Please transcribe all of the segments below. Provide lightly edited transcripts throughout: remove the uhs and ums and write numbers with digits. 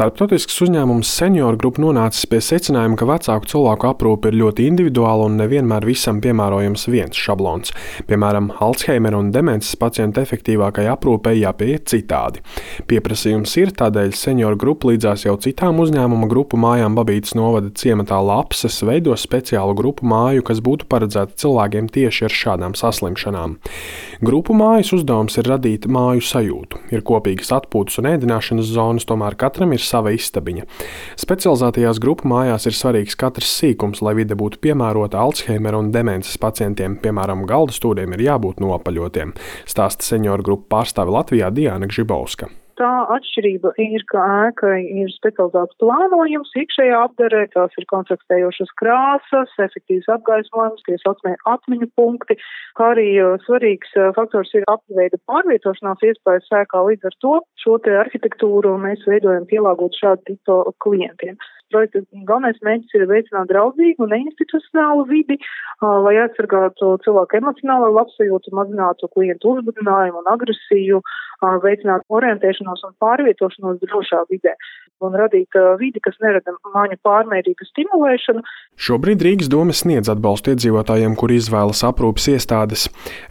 Starptautisks uzņēmums Senior Group nonācis pie secinājuma, ka vecāku cilvēku aprūpe ir ļoti individuāla un nevienmēr visam piemērojams viens šablons. Piemēram, Alzheimera un demences pacientu efektīvākai aprūpei jāpieiet citādi. Pieprasījums ir, tādēļ Senior Group līdzās jau citām uzņēmuma grupu mājām Babītas novada ciematā Lapses veido speciālu grupu māju, kas būtu paredzēta cilvēkiem tieši ar šādām saslimšanām. Grupu mājas uzdevums ir radīt māju sajūtu. Ir kopīgas atpūtas un ēdināšanas zonas, tomēr katram ir sava istabiņa. Specializētajās grupu mājās ir svarīgs katrs sīkums, lai vide būtu piemērota Alzheimera un demences pacientiem. Piemēram, galda stūriem ir jābūt nopaļotiem, stāsta Senior Group pārstāve Latvijā Diana Gžibovska. Tā atšķirība ir, ka ēkai ir specializēts plānojums, iekšējā apdarē, tās ir kontrastējošas krāsas, efektīvs apgaismojums, tie saucamie atmiņu punkti, kā arī svarīgs faktors ir apveida pārvietošanās iespējas ēkā. Līdz ar to šo te arhitektūru mēs veidojam pielāgot šādu tipu klientiem. Projekta galvenais mērķis ir veicināt draudzīgu un neinstitucionālu vidi, lai aizsargātu cilvēku emocionālo labsajūtu, mazinātu klientu uzbudinājumu un agresiju, veicināt orientēšanos un pārvietošanos drošā vidē un radīt vidi, kas nerada māņu pārmērīgu stimulēšanu. Šobrīd Rīgas doma sniedz atbalstu iedzīvotājiem, kuri izvēlas aprūpes iestādes.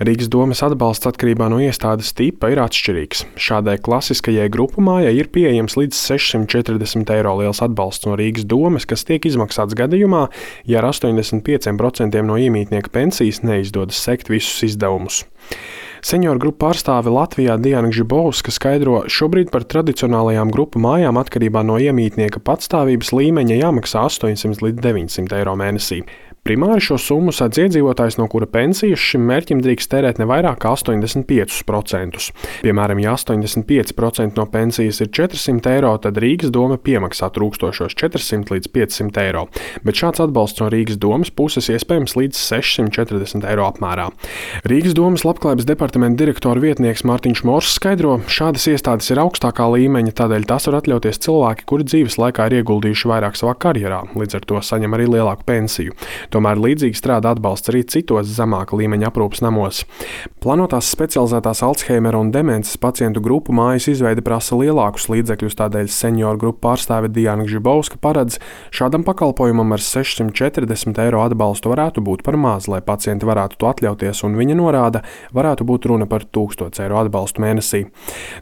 Rīgas domas atbalsts atkarībā no iestādes tipa ir atšķirīgs. Šādai klasiskajai grupu mājai ir pieejams līdz 640 eiro liels atbalsts no Rīgas domas, kas tiek izmaksāts gadījumā, ja ar 85% no iemītnieka pensijas neizdodas sekt visus izdevumus. Senior Group pārstāve Latvijā Diana Gžibovska skaidro, šobrīd par tradicionālajām grupu mājām atkarībā no iemītnieka patstāvības līmeņa jāmaksā 800 līdz 900 eiro mēnesī. Primāri šo summu sēdz iedzīvotājs, no kura pensijas šim mērķim drīkst tērēt ne vairāk kā 85%. Piemēram, ja 85% no pensijas ir 400 eiro, tad Rīgas doma piemaksā trūkstošos 400 līdz 500 eiro, bet šāds atbalsts no Rīgas domas puses iespējams līdz 640 eiro apmērā. Rīgas domas labklājības departamenta direktora vietnieks Mārtiņš Mors skaidro, šādas iestādes ir augstākā līmeņa, tādēļ tas var atļauties cilvēki, kuri dzīves laikā ir ieguldījuši vairāk savā karjerā, līdz ar to saņem arī lielāku pensiju. Tomēr līdzīgi strādā atbalsts arī citos zemāka līmeņa aprūpes namos. Plānotās specializētās Alzheimera un demences pacientu grupu mājas izveide prasa lielākus līdzekļus, tādēļ Senior Group pārstāve Diana Gžibovska paredz, šādam pakalpojumam ar 640 eiro atbalstu varētu būt par maz, lai pacienti varētu to atļauties, un viņa norāda, varētu būt runa par 1000 eiro atbalstu mēnesī.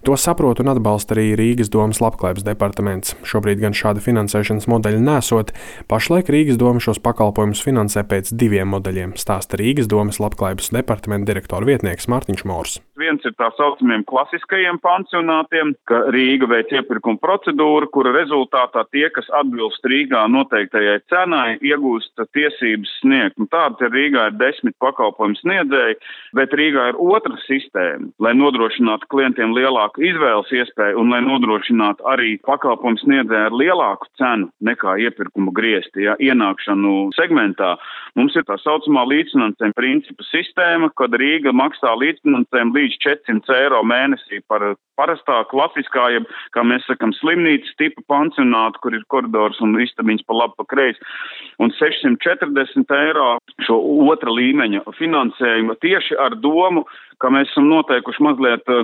To saprot un atbalsta arī Rīgas domas labklājības departaments. Šobrīd gan šāda finansēšanas modeļa nesot, pašlaik Rīgas doma šos pakalpojumus finansē pēc 2 modeļiem, stāsta Rīgas domas labklājības departamenta direktora vietnieks Mārtiņš Mors. Viens ir tā saucamiem klasiskajiem pansionātiem, ka Rīga veic iepirkuma procedūru, kura rezultātā tie, kas atbilst Rīgā noteiktajai cenai, iegūst tiesības sniegt. Tāda Rīgā ir 10 pakalpojumu sniedzēji, bet Rīgā ir otra sistēma, lai nodrošinātu klientiem lielāku izvēles iespēju un lai nodrošinātu arī pakalpojumu sniedzēju ar lielāku cenu nekā iepirkuma griezti, ienākšanu segmentā. Mums ir tā saucamā līdzfinansējuma principa sistēma, kad Rīga maksā līdzfinansējumu līdz 400 eiro mēnesī par parastā, klasiskā, kā mēs sakam, slimnīcas tipa pansionātu, kur ir koridors un istabiņas pa labi, pa kreisi, un 640 eiro šo otra līmeņa finansējumu tieši ar domu, ka mēs esam noteikuši mazliet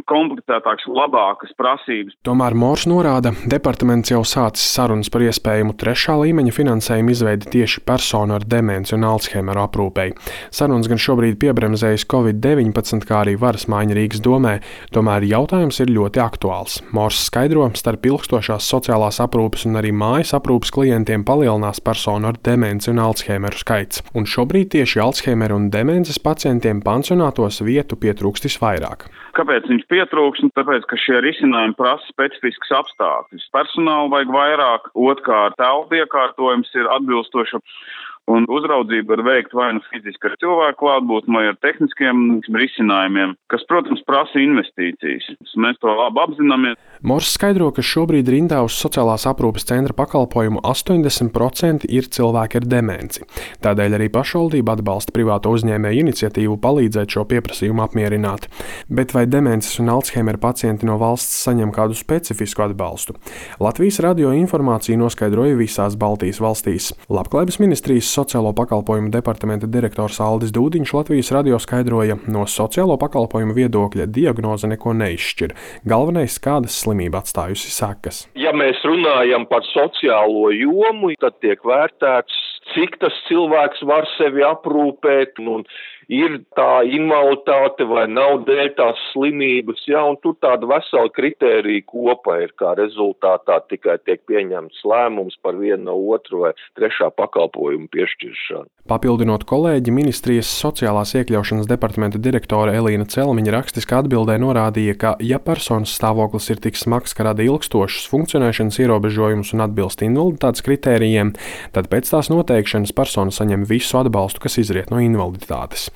komplicētākas, labākas prasības. Tomēr Mors norāda, departaments jau sācis sarunas par iespējamu 3. līmeņa finansējumu izveidi tieši personu ar demenci un Alzheimeru aprūpei. Sarunas gan šobrīd piebremzējas Covid-19, kā arī varas maiņa Rīgas domē, tomēr jautājums ir ļoti aktuāls. Mors skaidro, starp ilgstošās sociālās aprūpes un arī mājas aprūpes klientiem palielinās personu ar demenci un Alzheimeru skaits. Un šobrīd tieši Alzheimeru un demences pacientiem pansionātos vietu pietrūkst visvairāk. Kāpēc viņš pietrūks? Tāpēc, ka šie risinājumi prasa specifiskus apstākļus. Personālu vajag vairāk, otrkārt telpu iekārtojums ir atbilstoši. Un uzraudzība var veikt vai nu fiziski ar cilvēku klātbūtni, vai ar tehniskiem risinājumiem, kas, protams, prasa investīcijas. Mēs to labi apzināmies. Mors skaidro, ka šobrīd rindā uz sociālās aprūpes centra pakalpojumu 80% ir cilvēki ar demenci. Tādēļ arī pašvaldība atbalsta privāto uzņēmēju iniciatīvu palīdzēt šo pieprasījumu apmierināt. Bet vai demences un Alzheimera pacienti no valsts saņem kādu specifisku atbalstu? Latvijas radio informāciju noskaidroja visās Baltijas valstīs. Labklājības ministrijas sociālo pakalpojumu departamenta direktors Aldis Dūdiņš Latvijas radio skaidroja, no sociālo pakalpojumu viedokļa diagnoze neko neizšķir. Galvenais, kādas slimība atstājusi sekas. Ja mēs runājam par sociālo jomu, tad tiek vērtēts, cik tas cilvēks var sevi aprūpēt, un ir tā invaliditāte vai nav dēļ tās slimības, un tur tāda vesela kritērija kopa ir, kā rezultātā tikai tiek pieņemts lēmums par vienu no otru vai trešā pakalpojumu piešķiršanu. Papildinot kolēģi, ministrijas sociālās iekļaušanas departamenta direktore Elīna Celmiņa rakstiskā atbildē norādīja, ka, ja personas stāvoklis ir tik smags, ka rada ilgstošus funkcionēšanas ierobežojumus un atbilst invaliditātes kritērijiem, tad pēc tās noteikšanas persona saņem visu atbalstu, kas izriet no invaliditātes.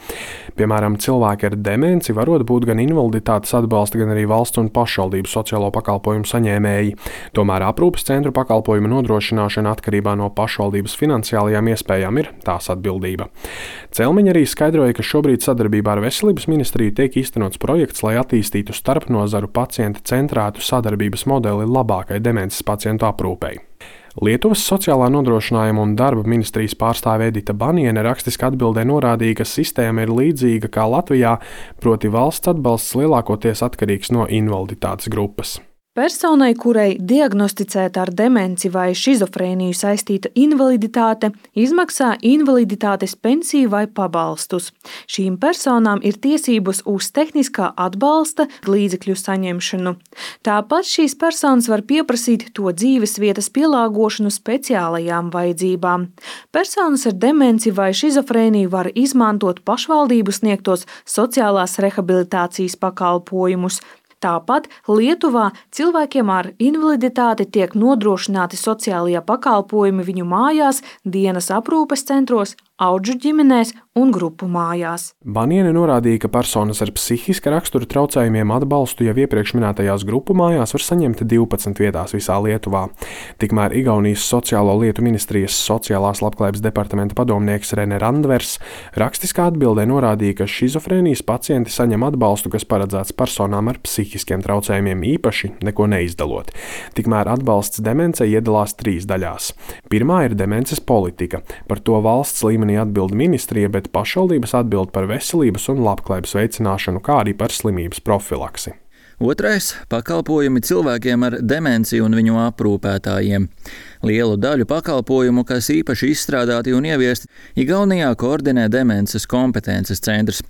Piemēram, cilvēki ar demenci varot būt gan invaliditātes atbalsta, gan arī valsts un pašvaldību sociālo pakalpojumu saņēmēji. Tomēr aprūpes centru pakalpojumu nodrošināšana atkarībā no pašvaldības finansiālajām iespējām ir tās atbildība. Celmiņa arī skaidroja, ka šobrīd sadarbībā ar Veselības ministriju tiek īstenots projekts, lai attīstītu starpnozaru pacienta centrētu sadarbības modeli labākai demences pacientu aprūpei. Lietuvas sociālā nodrošinājuma un darba ministrijas pārstāve Edita Baniene rakstiskā atbildē norādīja, ka sistēma ir līdzīga kā Latvijā, proti valsts atbalsts lielākoties atkarīgs no invaliditātes grupas. Personai, kurai diagnosticēta ar demenci vai šizofrēniju saistīta invaliditāte, izmaksā invaliditātes pensiju vai pabalstus. Šīm personām ir tiesības uz tehniskā atbalsta līdzekļu saņemšanu. Tāpat šīs personas var pieprasīt to dzīvesvietas pielāgošanu speciālajām vajadzībām. Personas ar demenci vai šizofrēniju var izmantot pašvaldību sniegtos sociālās rehabilitācijas pakalpojumus. Tāpat Lietuvā cilvēkiem ar invaliditāti tiek nodrošināti sociālie pakalpojumi viņu mājās, dienas aprūpes centros, audžu ģimenēs un grupu mājās. Baniene norādīja, ka personas ar psihiska rakstura traucējumiem atbalstu jau iepriekš minētajās grupu mājās var saņemt 12 vietās visā Lietuvā. Tikmēr Igaunijas sociālo lietu ministrijas sociālās labklājības departamenta padomnieks Rene Randvers rakstiskā atbildē norādīja, ka šizofrēnijas pacienti saņem atbalstu, kas paredzēts personām ar psihiskiem traucējumiem īpaši neko neizdalot. Tikmēr atbalsts demencei iedalās 3 daļās. Pirmā ir demences politika. Par to valsts līmenī atbild ministrija, bet pašvaldības atbild par veselības un labklājības veicināšanu, kā arī par slimības profilaksi. Otrais – pakalpojumi cilvēkiem ar demenci un viņu aprūpētājiem. Lielu daļu pakalpojumu, kas īpaši izstrādāti un ieviesti, Igaunijā koordinē demences kompetences centrs.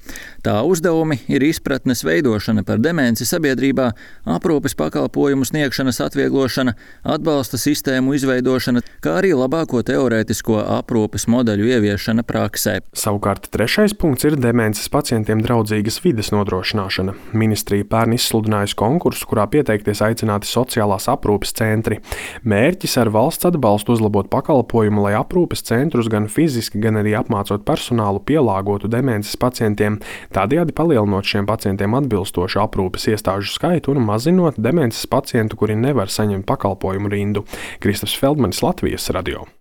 Tā uzdevumi ir izpratnes veidošana par demenci sabiedrībā, aprūpes pakalpojumu sniegšanas atvieglošana, atbalsta sistēmu izveidošana, kā arī labāko teorētisko aprūpes modeļu ieviešana praksē. Savukārt trešais punkts ir demences pacientiem draudzīgas vides nodrošināšana. Ministrija pērn izsludinājusi konkursu, kurā pieteikties aicināti sociālās aprūpes centri. Mērķis ar valsts atbalstu uzlabot pakalpojumu, lai aprūpes centrus gan fiziski, gan arī apmācot personālu pielāgotu demences pacientiem, tādējādi palielinot šiem pacientiem atbilstošu aprūpes iestāžu skaitu un mazinot demences pacientu, kuri nevar saņemt pakalpojumu rindu. Kristaps Feldmanis, Latvijas radio.